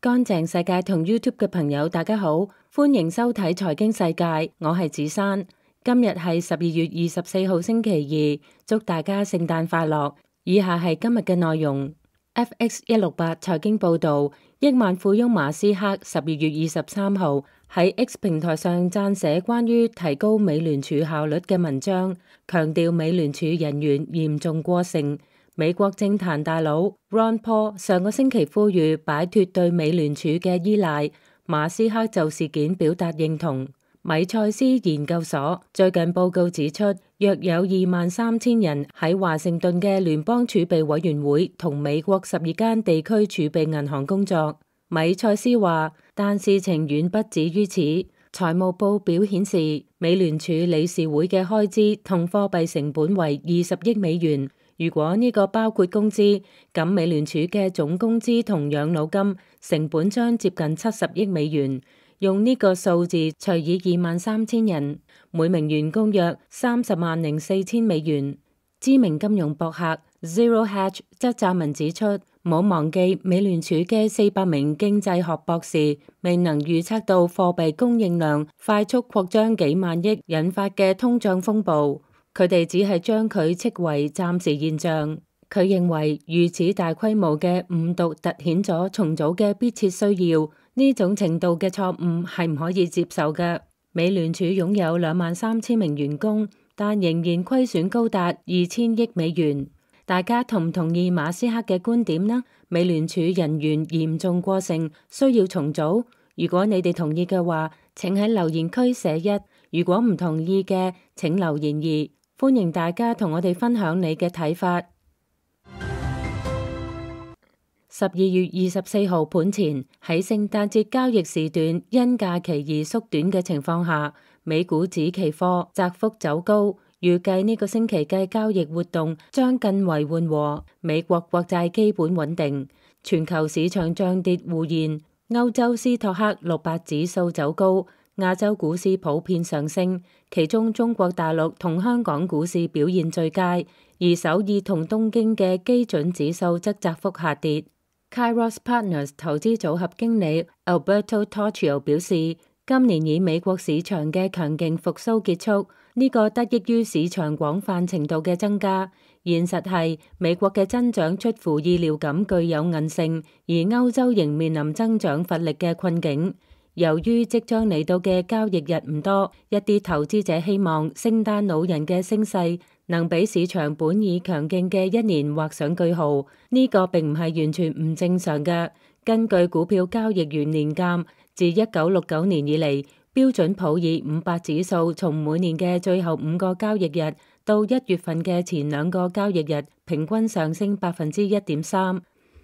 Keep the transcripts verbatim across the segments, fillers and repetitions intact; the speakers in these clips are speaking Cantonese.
乾淨世界同 YouTube 嘅朋友，大家好，歡迎收睇財經世界，我係子珊。今日係十二月二十四號星期二，祝大家聖誕快樂。以下係今日嘅內容。F X 一六八財經報道，億萬富翁馬斯克十二月二十三號喺 X 平台上撰寫關於提高美聯儲效率嘅文章，強調美聯儲人員嚴重過剩。美國政壇大佬 Ron Paul 上個星期呼籲擺脫對美聯儲嘅依賴，馬斯克就事件表達認同。米塞斯研究所最近報告指出，約有二萬三千人喺華盛頓嘅聯邦儲備委員會同美國十二間地區儲備銀行工作。米塞斯話，但事情遠不止於此。財務報表顯示，美聯儲理事會嘅開支同貨幣成本為二十億美元。如果呢個包括工資，咁美聯儲嘅總工資同養老金成本將接近七十億美元。用呢個數字除以二萬三千人，每名員工約三十萬零四千美元。知名金融博客 Zero Hedge 則撰文指出，唔好忘記美聯儲嘅四百名經濟學博士未能預測到貨幣供應量快速擴張幾萬億引發嘅通脹風暴。佢哋只係將佢斥為暫時現象。佢認為如此大規模嘅誤讀凸顯咗重組嘅迫切需要，呢種程度嘅錯誤係唔可以接受嘅。美聯儲擁有兩萬三千名員工，但仍然虧損高達二千億美元。大家同唔同意馬斯克嘅觀點呢？美聯儲人員嚴重過剩，需要重組。如果你哋同意嘅話，請喺留言區寫一；如果唔同意嘅，請留言二。歡迎大家同我哋分享你嘅睇法。十二月二十四號盤前喺聖誕節交易時段因假期而縮短嘅情況下，美股指期貨窄幅走高，預計呢個星期嘅交易活動將更為緩和。美國國債基本穩定，全球市場漲跌互現。歐洲斯托克六百指數走高，亞洲股市普遍上升，其中中國大陸同香港股市表現最佳，而首爾同東京嘅基準指數則窄幅下跌。Kairos Partners 投資組合經理 Alberto Torchio 表示，今年以美國市場嘅強勁復甦結束，呢、這個得益於市場廣泛程度嘅增加。現實係美國嘅增長出乎意料咁具有韌性，而歐洲仍面臨增長乏力嘅困境。由於即將嚟到嘅交易日唔多，一啲投資者希望聖誕老人嘅升勢能俾市場本已強勁嘅一年畫上句號。呢、這個並唔係完全唔正常嘅。根據股票交易員年鑑，自一九六九年以嚟，標準普爾五百指數從每年嘅最後五個交易日到一月份嘅前兩個交易日，平均上升百分之一點三。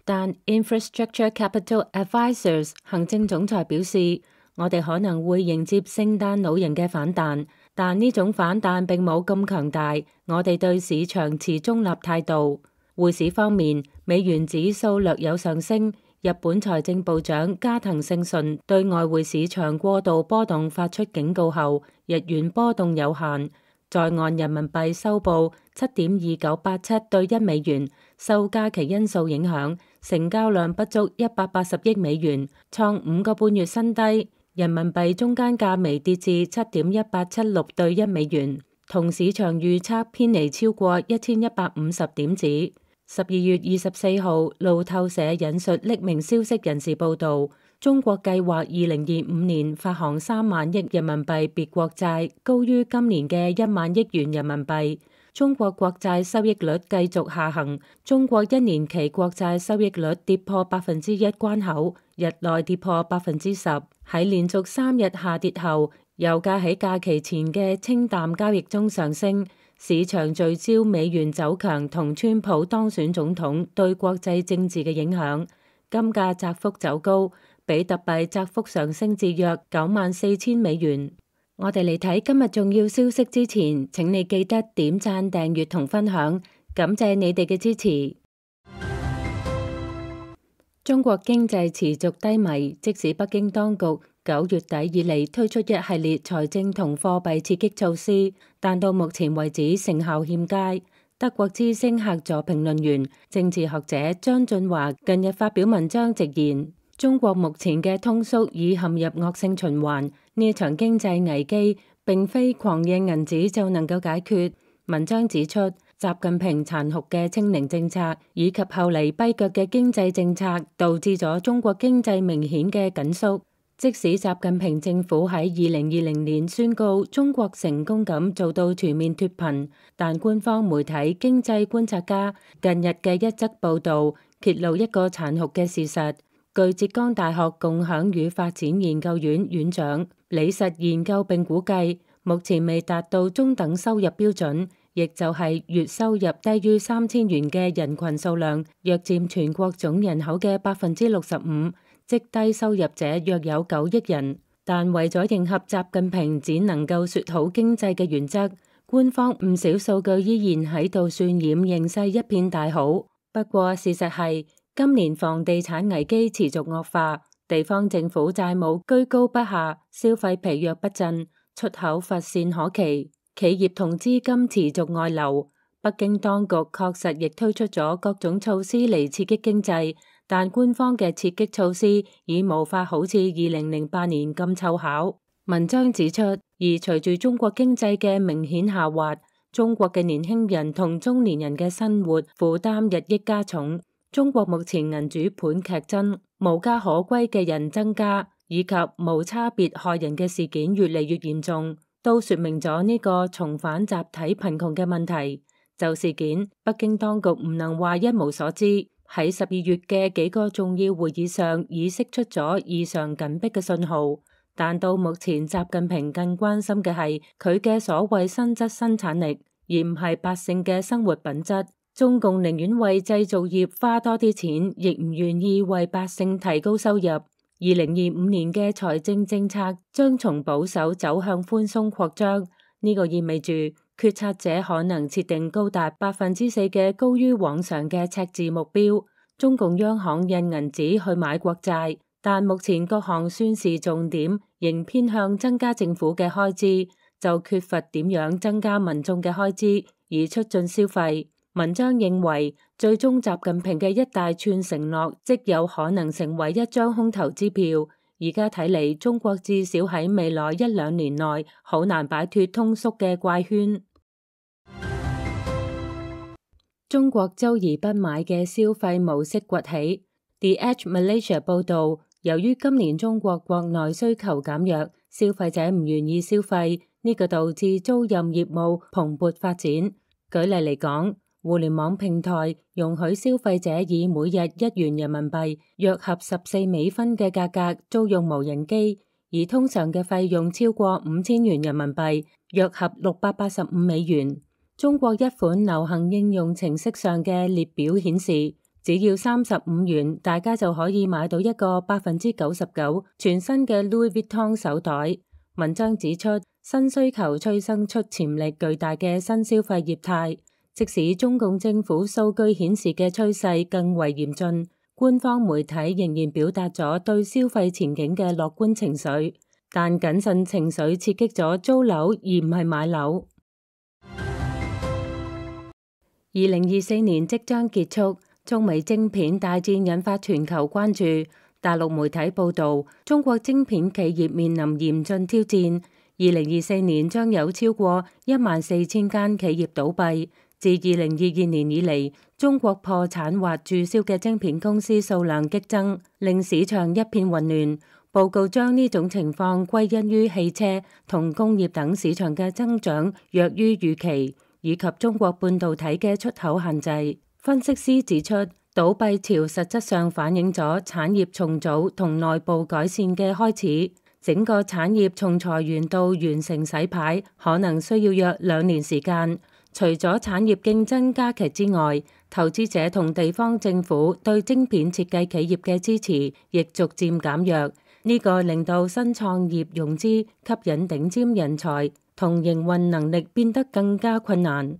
但 Infrastructure Capital Advisors 行政總裁表示，我哋可能會迎接聖誕老人嘅反彈，但呢種反彈並冇咁強大。我哋對市場持中立態度。匯市方面，美元指數略有上升。日本財政部長加藤勝順對外匯市場過度波動發出警告後，日元波動有限。在岸人民幣收報七點二九八七對一美元，受假期因素影響，成交量不足一百八十億美元，創五個半月新低。人民幣中間價微跌至七點一八七六對一美元，同市場預測偏離超過一千一百五十點子。十二月二十四號，路透社引述匿名消息人士報道，中國計劃二零二五年發行三萬億人民幣別國債，高於今年嘅一萬億元人民幣。中國國債收益率繼續下行，中國一年期國債收益率跌破百分之一關口，日內跌破百分之十。喺連續三日下跌後，油價喺假期前嘅清淡交易中上升。市場聚焦美元走強同川普當選總統對國際政治嘅影響，金價窄幅走高，比特幣窄幅上升至約九萬四千美元。我哋嚟睇今日重要消息之前，請你記得點讚、訂閱同分享，感謝你哋嘅支持。中國經濟持續低迷，即使北京當局九月底以嚟推出一系列財政同貨幣刺激措施，但到目前為止成效欠佳。德國之聲客座評論員、政治學者張俊華近日發表文章直言，中國目前嘅通縮已陷入惡性循環，呢場經濟危機並非狂印銀紙就能夠解決。文章指出，習近平殘酷嘅清零政策以及後嚟跛腳嘅經濟政策，導致咗中國經濟明顯嘅緊縮。即使習近平政府喺二零二零年宣告中國成功咁做到全面脫貧，但官方媒體《經濟觀察家》近日嘅一則報導揭露一個殘酷嘅事實。據浙江大學共享與發展研究院院長李實研究並估計，目前未達到中等收入標準，亦就係月收入低於三千元嘅人群數量，約佔全國總人口嘅百分之六十五。即低收入者約有九億人，但為咗迎合習近平只能夠說好經濟嘅原則，官方唔少數據依然喺度渲染形勢一片大好。不過事實係，今年房地產危機持續惡化，地方政府債務居高不下，消費疲弱不振，出口乏善可期，企業同資金持續外流。北京當局確實亦推出咗各種措施嚟刺激經濟。但官方嘅刺激措施已無法好似二零零八年咁湊巧。文章指出，而隨住中國經濟嘅明顯下滑，中國嘅年輕人同中年人嘅生活負擔日益加重。中國目前銀主盤劇增，無家可歸嘅人增加，以及無差別害人嘅事件越嚟越嚴重，都說明咗呢個重返集體貧窮嘅問題。就事件，北京當局唔能話一無所知。喺十二月嘅幾個重要會議上，已釋出咗異常緊迫嘅信號，但到目前，習近平更關心嘅係佢嘅所謂新質生產力，而唔係百姓嘅生活品質。中共寧願為製造業花多啲錢，亦唔願意為百姓提高收入。二零二五年嘅財政政策將從保守走向寬鬆擴張，呢個意味住決策者可能設定高達百分之四嘅高於往常嘅赤字目標。中共央行印銀紙去買國債，但目前各項宣示重點仍偏向增加政府嘅開支，就缺乏點樣增加民眾嘅開支而促進消費。文章認為，最終習近平嘅一大串承諾，即有可能成為一張空頭支票。而家睇嚟，中國至少喺未來一兩年內好難擺脫通縮嘅怪圈。中國周而不買嘅消費模式崛起。The Edge Malaysia 報導，由於今年中國國內需求減弱，消費者唔願意消費，呢個導致租賃業務蓬勃發展。舉例嚟講，互聯網平台容許消費者以每日一元人民幣，約合十四美分嘅價格租用無人機，而通常嘅費用超過五千元人民幣，約合六百八十五美元。中國一款流行應用程式上嘅列表顯示，只要三十五元，大家就可以買到一個百分之九十九全新嘅 Louis Vuitton 手袋。文章指出，新需求催生出潛力巨大嘅新消費業態。即使中共政府數據顯示嘅趨勢更為嚴峻，官方媒體仍然表達咗對消費前景嘅樂觀情緒，但謹慎情緒刺激咗租樓而唔係買樓。二零二四年即將結束，中美晶片大戰引發全球關注。大陸媒體報導，中國晶片企業面臨嚴峻挑戰。二零二四年將有超過一萬四千間企業倒閉。自二零二二年以嚟，中國破產或註銷嘅晶片公司數量激增，令市場一片混亂。報告將呢種情況歸因於汽車同工業等市場嘅增長弱於預期，以及中國半導體嘅出口限制。分析師指出，倒閉潮實質上反映咗產業重組同內部改善嘅開始。整個產業從裁員到完成洗牌，可能需要約兩年時間。除咗產業競爭加劇之外，投資者同地方政府對晶片設計企業嘅支持亦逐漸減弱。呢個令到新創業融資、吸引頂尖人才同營運能力變得更加困難。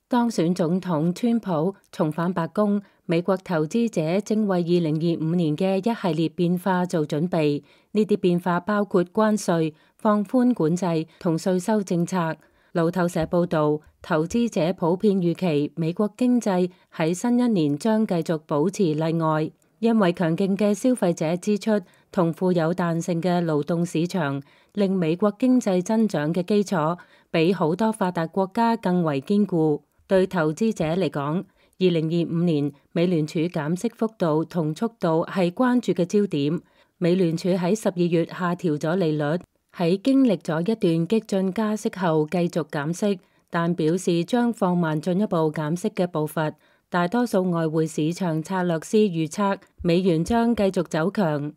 當選總統川普重返白宮，美國投資者正為二零二五年嘅一系列變化做準備。呢啲變化包括關稅、放寬管制同稅收政策。路透社報導，投資者普遍預期美國經濟喺新一年將繼續保持例外，因為強勁嘅消費者支出同富有彈性嘅勞動市場，令美國經濟增長嘅基礎比好多發達國家更為堅固。對投資者嚟講，二零二五年美聯儲減息幅度同速度係關注嘅焦點。美聯儲喺十二月下調咗利率，喺經歷咗一段激進加息後繼續減息，但表示將放慢進一步減息嘅步伐。大多數外匯市場策略師預測美元將繼續走強。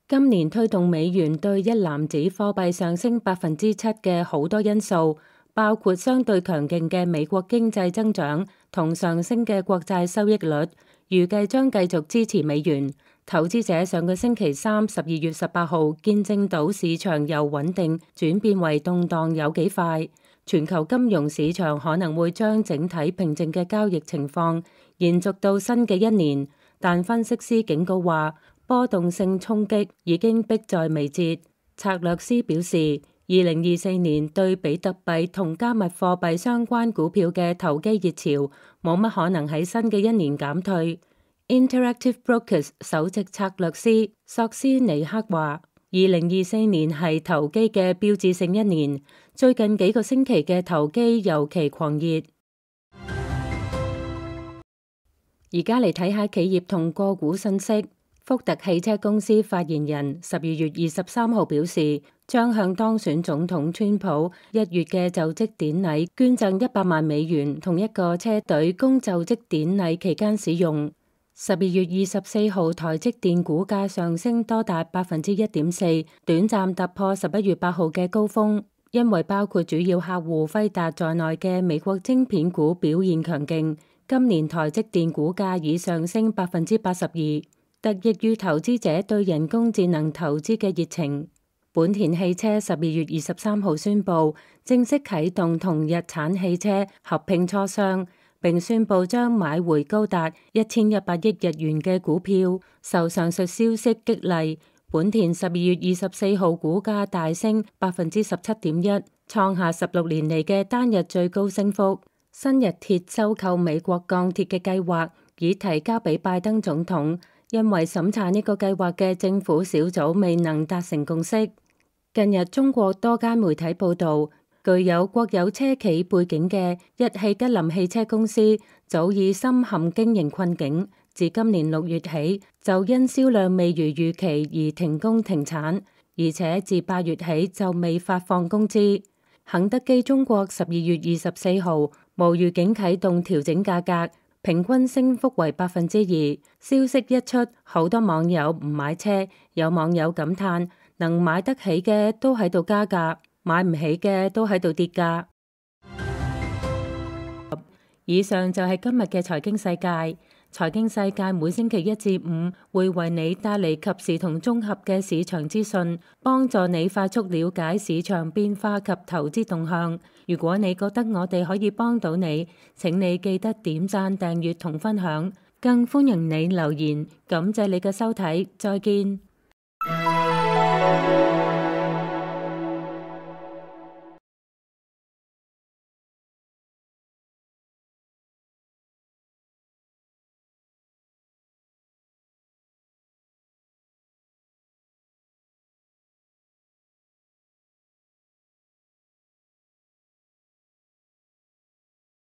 今年推動美元對一籃子貨幣上升百分之七嘅好多因素，包括相對強勁嘅美國經濟增長同上升嘅國債收益率，預計將繼續支持美元。投資者上個星期三十二月十八號見證到市場由穩定轉變為動盪有幾快，全球金融市場可能會將整體平靜嘅交易情況延續到新嘅一年，但分析師警告話波動性衝擊已經迫在眉睫。策略師表示，二零二四年對比特幣同加密貨幣相關股票嘅投機熱潮冇乜可能喺新嘅一年減退。Interactive Brokers 首席策略師索斯尼克話，二零二四年係投機嘅標誌性一年，最近幾個星期嘅投機尤其狂熱。而家嚟睇下企業同個股信息。福特汽車公司發言人十二月二十三號表示，將向當選總統川普一月嘅就職典禮捐贈一百萬美元，同一個車隊供就職典禮期間使用。十二月二十四號，台積電股價上升多達百分之一點四，短暫突破十一月八號嘅高峰，因為包括主要客戶輝達在內嘅美國晶片股表現強勁。今年台積電股價已上升百分之八十二。得益於投資者對人工智能投資嘅熱情。本田汽車十二月二十三號宣布正式啟動同日產汽車合併磋商，並宣布將買回高達一千一百億日元嘅股票。受上述消息激勵，本田十二月二十四號股價大升百分之十七點一，創下十六年嚟嘅單日最高升幅。新日鐵收購美國鋼鐵嘅計劃已提交俾拜登總統。因為審查呢個計劃嘅政府小組未能達成共識。近日中國多間媒體報道，具有國有車企背景嘅日系吉林汽車公司早已深陷經營困境，自今年六月起就因銷量未如預期而停工停產，而且自八月起就未發放工資。肯德基中國十二月二十四號無預警啟動調整價格，平均升幅為百分之二。消息一出，好多網友唔買車，有網友感嘆，能買得起嘅都喺度加價，買唔起嘅都喺度跌價。以上就係今日嘅財經世界。財經世界每星期一至五會為你帶嚟及時同綜合嘅市場資訊，幫助你快速了解市場變化及投資動向。如果你覺得我哋可以幫到你，請你記得點讚、訂閱同分享，更歡迎你留言。感謝你嘅收睇，再見。